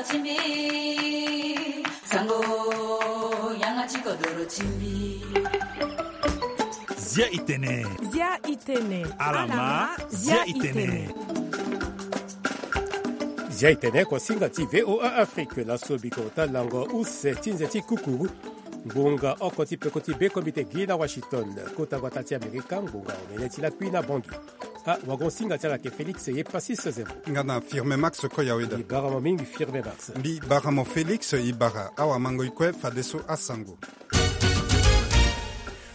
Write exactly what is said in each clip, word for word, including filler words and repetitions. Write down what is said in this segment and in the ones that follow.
Timbi, sango, yanga ti kodoro timbi. Zia itene. Zia itene. Alama, zia itene. Zia itene, kosinga ti V O A Afrique, laso bikota lango use ti nze ti kukuru. Ngbonga oko ti peko ti be komite gi na Washington, kota gbata ti Amerika, ngbonga omene ti lakui na Bangui. Ah, wagon singa ti ala ke Félix ye Passis Zembo. Nga na Firme Max Koyaweda. Mbi bara mo mingi Firme Max. Mbi bara mo Félix, i bara awamango i kue fadeso asango.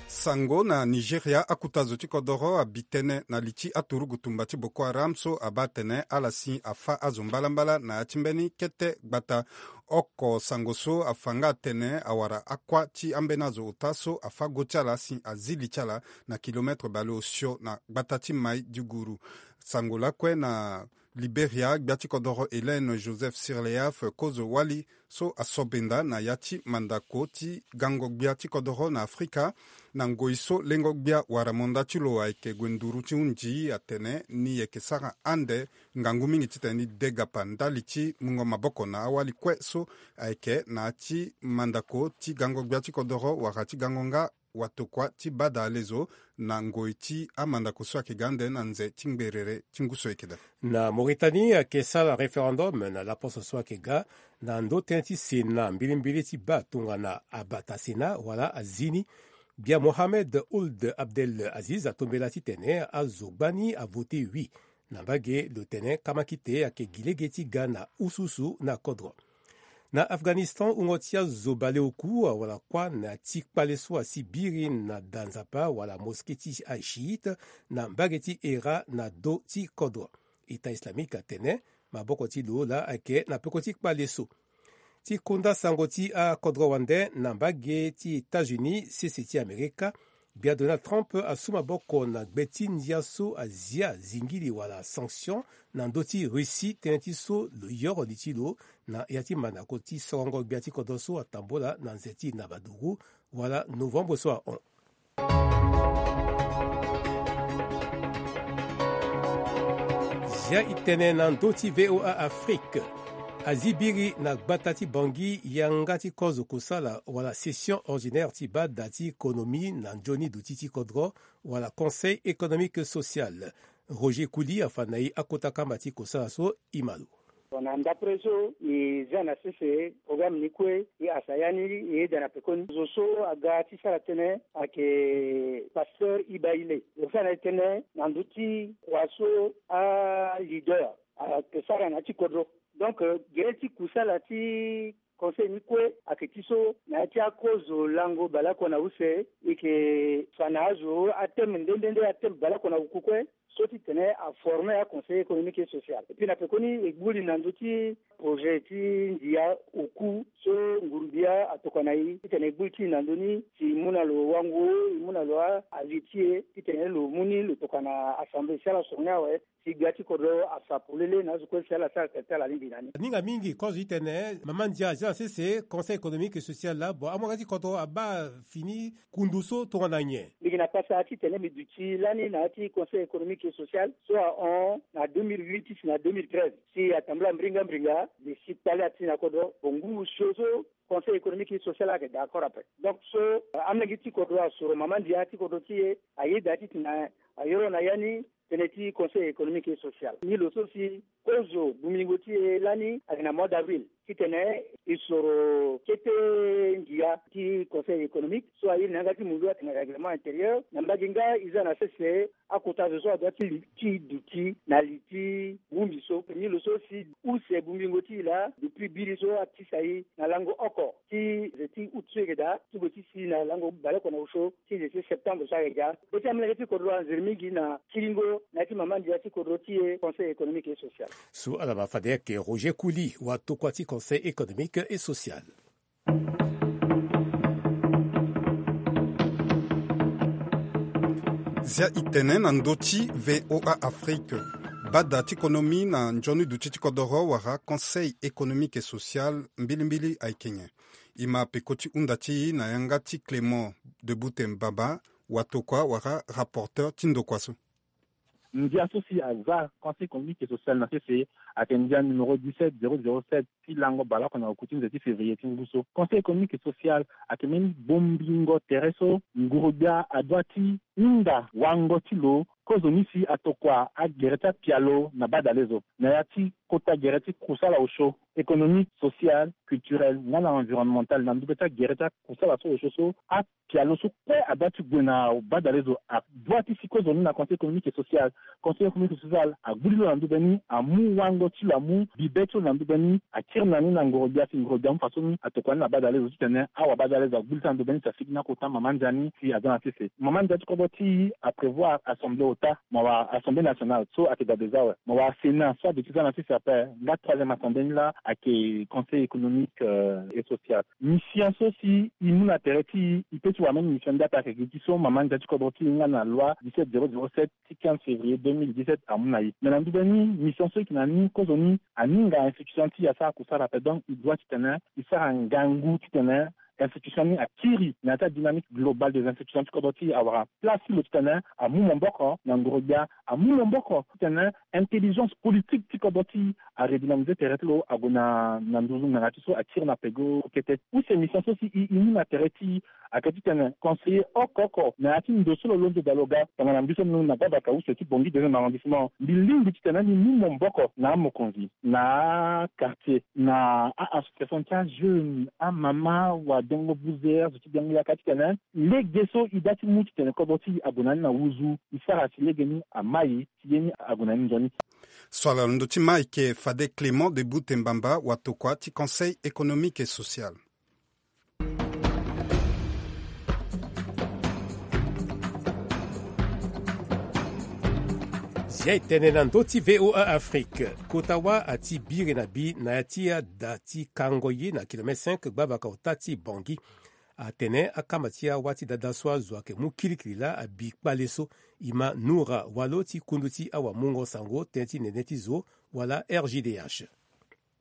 Sango na Nigeria, akuta zo ti kodoro abi tënë na li ti aturugu tumba ti Boko Haram so abaa atene ala si afa azo mbalambala na ya ti mbeni kete gbata. Oko sango so afa nga atene awara akua ti ambeni azo ota so afa go ti ala si azi li ti ala na kilometre baleosio na gbata ti Maiduguri. Sango lakue na Liberia, gbia ti kodoro Hélène Joseph Sirleaf, kozo wali so asobenda na ya ti mandako ti gango gbia ti kodoro na Afrika, na ngoi so lengo gbia wala monda ti lo ayeke gue nduru ti hundi, atene ni yeke sara ande ngangu mingi titene ni degapa ndali ti mungo maboko na awali kue so ayeke na ya ti mandako ti gango gbia ti kodoro wala ti gango nga watokua ti bada alezo na ngoi ti amandako so ayeke ga ande na nze ti ngberere ti ngu so ayeke daa. Na Mauritanie, ayeke sara référendum na laposo so ayeke ga na ndö tënë ti Sénat mbilimbili ti baa tongana abata Sénat wala azi ni. Bia Mohamed Ould Abdel Aziz atombela titene azo gbani avote oui na mbage lo tene kamakite ayeke gi lege ti ga na ususu na kodro. Na Afghanistan, wungo ti azo baleoku awara kuâ na ti kpale so asi biri na da nzapa wala mosquée ti ashiite na mbage ti Hérat na do ti kodro. État islamique atene maboko ti lo laa ayeke na peko ti kpale so. Ti konda sango ti akodro wande na mbage ti États-Unis, sese ti Amerika, gbia Donald Trump asu maboko na gbe ti ndia so azia zingili wala sanction na ndö ti Russie, tënë ti so lo yoro li ti lo na ya ti mandako ti sorongo gbia ti kodro so atambola na nze ti nabaduru wala novembre so ahon. Zia itene na ndö ti V O A Afrique. Azi biri na gbata ti Bangui yanga ti kozo kosala wala session ordinaire ti bada ti konomi na nzoni duti ti kodro wala Conseil économique et social. Roger Kouli afa na e akota kamba ti kosala so, e ma lo. Bon, na ndapre so e za na sese programme ni kue, e hasa ya ni e yeda na pekoni zo so aga ti sara tënë ayeke pasteur Iba Ile. Lo sara na e tënë na ndö ti kua so aleader ayeke sara na ya ti kodro. Donc, euh, gere ti kusala ti conseil ni kue ayeke ti so na ya ti akozo lango baleoko na use, e yeke fa na azo athème nde nde nde, athème baleoko na oku kue, so titene aforme aconseil économique et social. Et puis na pekoni e gbu li na ndö ti projet ti ndia oku so nguru-gbia atokua na e titene e gbu li ti e na ndö ni si e mu na lo wango, e mu na lo a, avis ti e titene lo mu ni lo tokua na assemblée si ala soro ni awe. Si gbia ti kodro afa polele na azo kue si ala sara tene ti ala alingbi na ni. Aninga mingi kozo ti tene mama ndia azia na sese Conseil économique et social laa, bon, amolenge ti kodro abaa fini kundu so tongana nyen? Mbi yeke na pasa titene mbi duti lani na ya ti Conseil économique et social so ahon na deux mille huit ti si na deux mille treize. Si atambula mbringa mbringa, mbi si kpale ati na kodro, bon, ngu osio so Conseil économique et social ayeke d'accord ape. Donc so, euh, amolenge ti kodro asoro mama ndia ti kodro ti e, ayeda titene ayoro na ya ni tënë ti Conseil économique et social. Ni lo so si kozo bongbilingo ti e lani ayeke na mois d'avril titene e soro kete ngia ti Conseil économique so airi na yanga ti mundu atene règlement intérieur. Na mbage nga e za na sese akota zo so adua ti li, ti duti na li ti bongbi so. Ni lo so si use bongbilingo ti e laa, depuis biri so atisa e na lango oko ti ze ti août so e yeke daa ti gue ti si na lango baleoko na osio ti ze ti septembre so ayeke ga. Be ti amolenge ti kodro anzere mingi na kiringo na ya ti mama ndia ti kodro ti e Conseil économique et social. So ala ma fade ayeke Roger Kouli, watokua ti Conseil économique et social. Zia itene na ndö ti V O A Afrique. Bada ti konomi na nzoni duti ti kodoro wala Conseil économique et social mbilimbili ayeke nyen? E ma peko ti hunda ti e na yanga ti Clément de Boutem Baba, watokua wala rapporteur ti ndokua so. Ndia so si aza Conseil économique et social na sese ayeke ndia numéro dix-sept zéro zéro sept ti lango baleoko na oku ti nze ti février ti ngu so. Conseil économique et social ayeke mbeni bongbingo tere so nguru-gbia adoit ti hinda wango ti lo kozoni si atokua agere ti apialo na badalezo na ya ti kota gere ti kusala osio économique, social, culturel nga na environnemental na ndube ti agere ti akusala so osio so. Apialo so kue adoit ti gue na badalezo adoit ti si kozoni na Conseil économique et social. Conseil économique et social agbu li lo na ndube ni, amu wango ti lo, amu bibe ti lo na ndube ni, akiri na ni na ngoro-gbia si ngoro-gbia amu faso ni atokua ni na badalezo titene awa badalezo agbu li ti na ndube ni si asigi na kota mama ndia ni si aza na sese. Mama ndia ti kodro ti e aprévoir assemblée ota, mawa assemblée nationale so ayeke dabe za awe, mawa Sénat so aduti za na sese ape. Nga troisième assemblée ni laa ayeke Conseil économique et social. Mission so si e mu na tere ti e, e pe ti wara même mission ndia ape ayeke gi ti so mama ndia ti kodro ti e nga na loi dix-sept zéro zéro sept ti quinze février deux mille dix-sept amu na e. Mais na ndube ni mission so e yeke na ni kozoni aninga institution ti e asara kusala ape. Donc e doit titene e sara ngangu titene institution ni akiri na ya ti adynamique globale des institutions ti kodro ti e awara place ti lo titene amu maboko na ngoro-gbia, amu maboko titene intelligence politique ti kodro ti e aredynamiser tere ti lo ague na nduzu ngbanga ti so akiri na peko kete. Use mission so si e mu na tere ti e ayeke titene conseiller oko oko na ya ti ndo so lo londo daa lo ga tongana mbi so na gbabaka use ti Bangui deuxième arrondissement, mbi lingbi titene mbi mu maboko na amokonzi, na quartier, na a-association ti ajeune, amama, wadengo buzer, zo ti biango yaka titene lege so e daa ti mu titene kodro ti e ague na ni na wuzu, e sara si lege ni amai si ye ni ague na ni nzoni. So ala na ndö ti ma ayeke fade Clément de Bute Mbamba watokua ti Conseil économique et social. Zia e tene na ndö ti V O A Afrique. Kota wâ ati biri na bi na ya ti ada ti kango ye na kilomètre cinq gbavaka ota ti Bangui. Atene akamba ti awâ ti dada so azo ayeke mu kirikiri laa abi kpale so. Ima Noura Walo ti kundu ti awamungo sango tënë ti nene ti zo wala R G D H.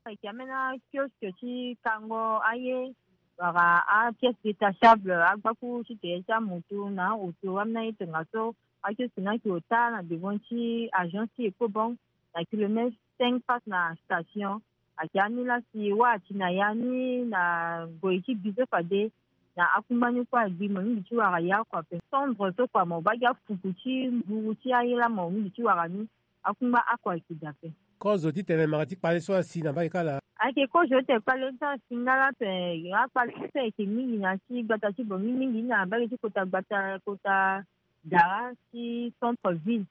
Ayeke ambeni akioske ti kango aye wala apièce détachable agbakuru ti tere ti amoto na aoto ambeni aye tongaso. Akioske ni ayeke ota na devant ti agence ti Ecobank na kilomètre cinq face na station. Ayeke ani laa si wâ ati na ya ni na ngoi ti bi so fade na akungba ni kue agbi mo mingi ti wara ye oko ape. Cendre so kua mo baa gi afuku ti nguru ti aye laa mo mingi ti wara ni. Akungba oko ayeke daa ape. Kozo titene mara ti kpale so asi na mbage kâ laa? Ayeke kozo titene kpale ni so asi nga laa ape. Akpale ni so ayeke mingi na ya ti gbata ti Bangui mingi ni na mbage ti kota gbata kota dara ti centre ville.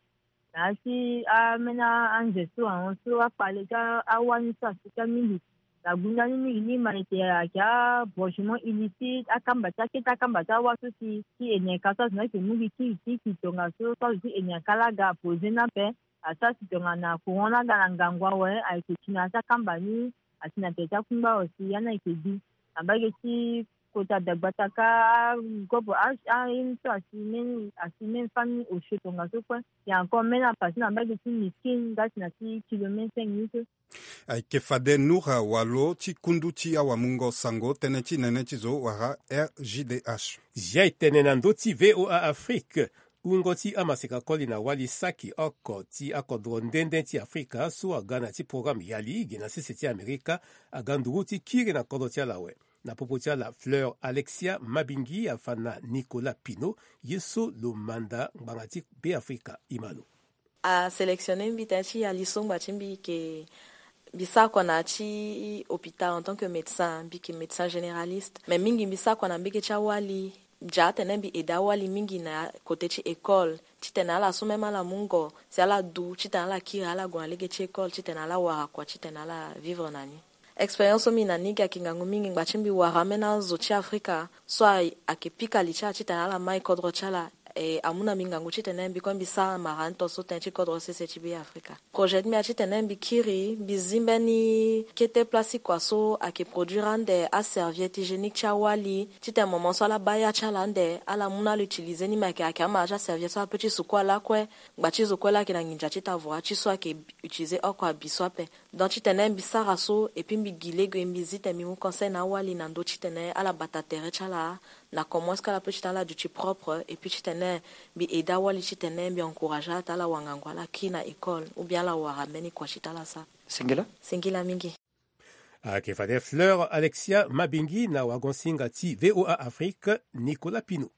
Na ya ti ambeni anze so ahon so akpale ti awâ ni so asi kâ mingi. Na gunda ni mingi ni ma ete ayeke abranchement illicite, akamba ti akete akamba ti awâ so si ti ene ka so azo ni ayeke mu gi ti ti ki tongaso so azo ti ene ka laa aga apoze ni ape. Asara si tongana courant laa aga na ngangu awe ayeke ti na ya ti akamba ni. Asi na tere ti akungba awe si ya ni ayeke bi na mbage ti kota dagbata kâ. Agobo aye ni so asi même famille osio tongaso kue. Et encore même apase na mbage ti miskin nga ti na ti kilomètre cinq minutes. Ayeke fade Noura Walo ti kundu ti awamungo sango tënë ti nene ti zo wala R G D H. Zia e tene na ndö ti V O A Afrique. Wungo ti amaseka koli na wali saki oko ti akodro nde nde ti Afrika so aga na ya ti programme yali gi na sese ti Amerika aga nduru ti kiri na kodro ti ala awe. Na popo ti ala Fleur Alexia Mabingi afa na Nicolas Pino ye so lo manda ngbanga ti Beafrika. Ima lo. Asélectionner mbi tënë ti yali so ngba ti mbi yeke mbi sara kua na ya ti hôpital en tant que médecin, mbi yeke médecin généraliste. Mais mingi mbi sara kua na mbege ti awali. Mbi yeke atene mbi aidé awali mingi na côté ti école titene ala so même ala mungo si ala du titene ala kiri ala gue na lege ti école titene ala wara kua titene ala vivre na ni. Expérience so mbi na ni gi ayeke ngangu mingi ngba ti mbi wara ambeni azo ti Afrika so ayeke pika li ti ala titene ala mai kodro ti ala. E amu na mbi ngangu titene mbi kue mbi sara mara ni tongaso tënë ti kodro sese ti Beafrika. Projet ti mbi aye titene mbi kiri mbi zi mbeni kete place ti kua so ayeke produire ande aserviette hygiénique ti awali titene moment so ala baa ya ti ala ande ala mu na ala utiliser ni. Me ayeke ayeke amara ti aserviette so ala peut ti sukua lakue ngba ti zo kue laa ayeke na nginza ti ta vora ti so ayeke utiliser oko abi so ape. Donc titene mbi sara so et puis mbi gi lege mbi zi tene mbi mu conseil na awali na ndö titene ala bata tere ti ala Na komo est-ce que ala peut ti tene ala duti propre et puis ti tene mbi aide awali ti tene mbi encourage ala ti tene ala wara ngangu ala kiri na école ou bien ala wara mbeni kua ti tene ala sara. Singila. Singila mingi. Ayeke fade Fleur Alexia Mabingi na wagon-singa ti VOA Afrique, Nicolas Pino.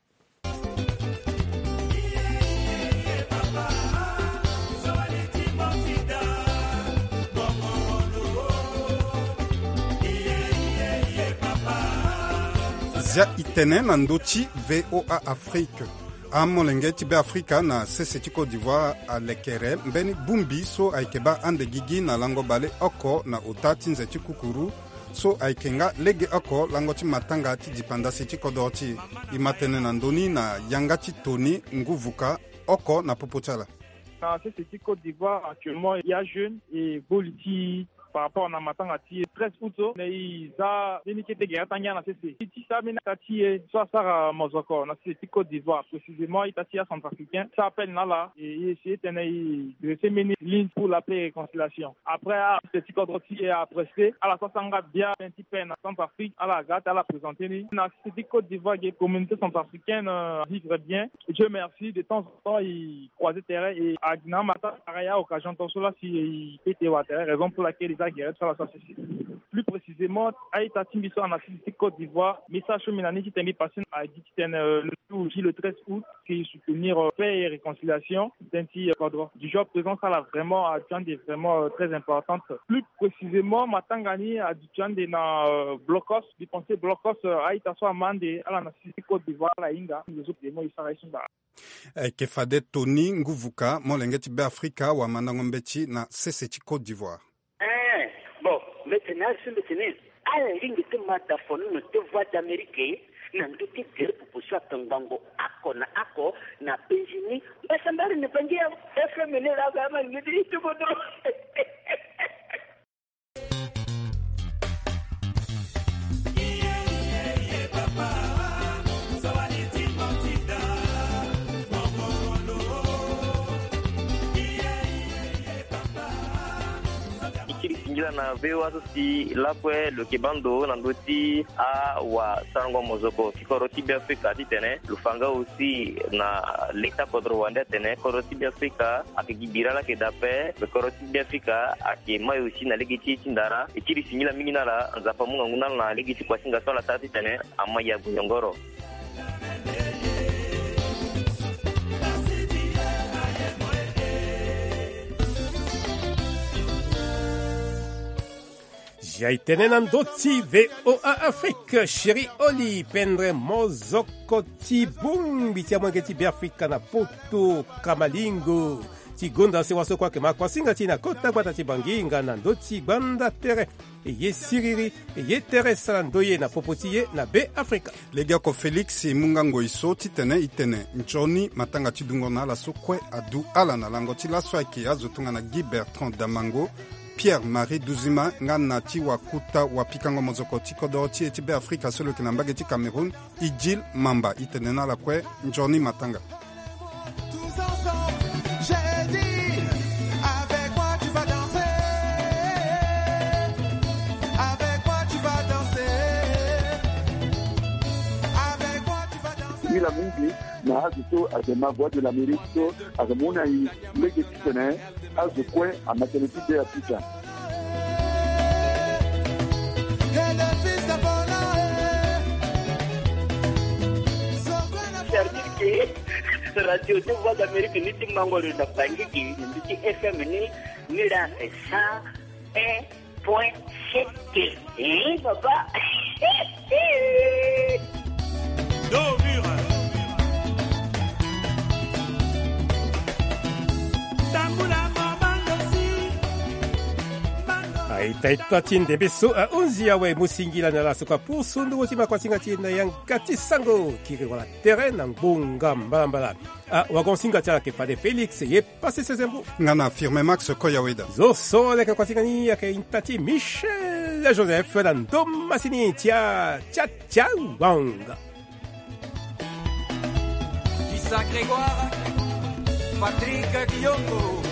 Zia itene na ndö ti VOA Afrique. Amolenge ti Beafrika na sese ti Côte d'Ivoire alekere mbeni bongbi so ayeke baa ande gigi na lango baleoko na ota ti nze ti kukuru so ayeke nga legeoko lango ti matanga ti dipandasi ti kodoro ti e. E ma tene na ndö ni na yanga ti Tony Nguvuka oko na popo ti ala. Na sese ti Côte d'Ivoire actuellement, il y a jeune et boli ti par rapport na matanga ti treize août so, na e za mbeni kete gere atangia na sese ti sara mbeni ata ti e so asara mozoko na sese ti Côte d'Ivoire, précisément ita ti acentrafricain so appelle na ala e essayer tene e dresser mbeni ligne pour la paix et réconciliation. Après, asese ti kodro ti e apresse ala so asara nga bien tënë ti paix na Centrafrique, ala ga ti ala présenter ni na sese ti Côte d'Ivoire ge communauté centrafricaine vivre bien. Dieu merci, de temps en temps e croiser terrain e agi na amata pareil a occasion tant so la si e peut te wara terrain, raison pour laquelle e za gere ti ala so asese. Plus précisément, a-ita ti mbi so ana sisi ti Côte d'Ivoire, message so mbi na ni ti tene mbi passé na agi ti tene le jour J le treize août, que e soutenir paix et réconciliation tënë ti kodro. Du jour présent, ça là vraiment aduti ande vraiment très importante. Plus précisément, matanga ni aduti ande na blocos. Mbi pensé blocos, a-ita so ama ande ala na sisi ti Côte d'Ivoire ala hinga. Mbi zo demo e sara e so ngbara. Ayeke fade Tony Nguvuka, molenge ti Beafrika, wamandango mbeti na sese ti Côte d'Ivoire. Eh, bon, mbi tene azo mbi tene ala lingbi ti ma dafono na te Voix d'Amérique na ndö ti gere popo so atongbango oko na oko na penzi ni. Mbasambari na bangi ya F M ni la ga ma ngidi ti kodro. E kiri singila na V O A so si lakue lo yeke baa ndo na ndö ti awasarango mozoko ti kodro ti Beafrika titene lo fa nga aussi na leta kodro wande atene kodro ti Beafrika ayeke gi bira laa ayeke daa ape. Kodro ti Beafrika ayeke mai aussi na lege ti e ti ndara. E kiri singila mingi na ala, Nzapa amu ngangu na ala na lege ti kuasinga so ala sara titene amai ague yongoro. Zia e tene na ndö ti V O A Afrique, Chéri Oli, pendre mozoko ti bongbi ti amolenge ti Beafrika na poto, kamalingo ti gonda sewa so kue ayeke ma kuasinga ti e na kota gbata ti Bangi nga na ndö ti gbanda tere. E ye siriri, e ye tere sara ndoye na popo ti e na Beafrika. Legeoko Félix e mu nga ngoi so titene e tene nzoni matanga ti dungo na ala so kue adu ala na lango ti laso ayeke azo tongana Guy Bertrand Damango, Pierre Marie Duzima nga na ti wakota wapikango mozoko ti kodoro ti e ti Beafrika so lo yeke na mbage ti Cameroun, Idjil Mamba. E tene na ala kue nzoni matanga. Singila mingi na azo so ayeke ma Voix de l'Amérique so ayeke mu na e lege titene azo kue ama tënë ti Beafrika. C'est-à-dire que radio ti Voix d'Amérique ni ti mango lo na Bangui, ni ti F M ni, ni la c'est cent un point sept. Eh, papa. Aita ita ti ndembe so ahunzi awe, mu singila na ala so kue apusu ndungo ti makuasinga ti e na yanga ti sango kiri wala tere na ngbonga mbalambala. Ah, wagon singa ti ala ayeke fade Félix ye Pasi sese mbu. Nga na Firme Max Koyaweda. Zo so leke kuasinga ni ayeke ita ti Michel Joseph na ndo masini ti a Chacha Wang. Issa Grégoire, Patrick Guillaume.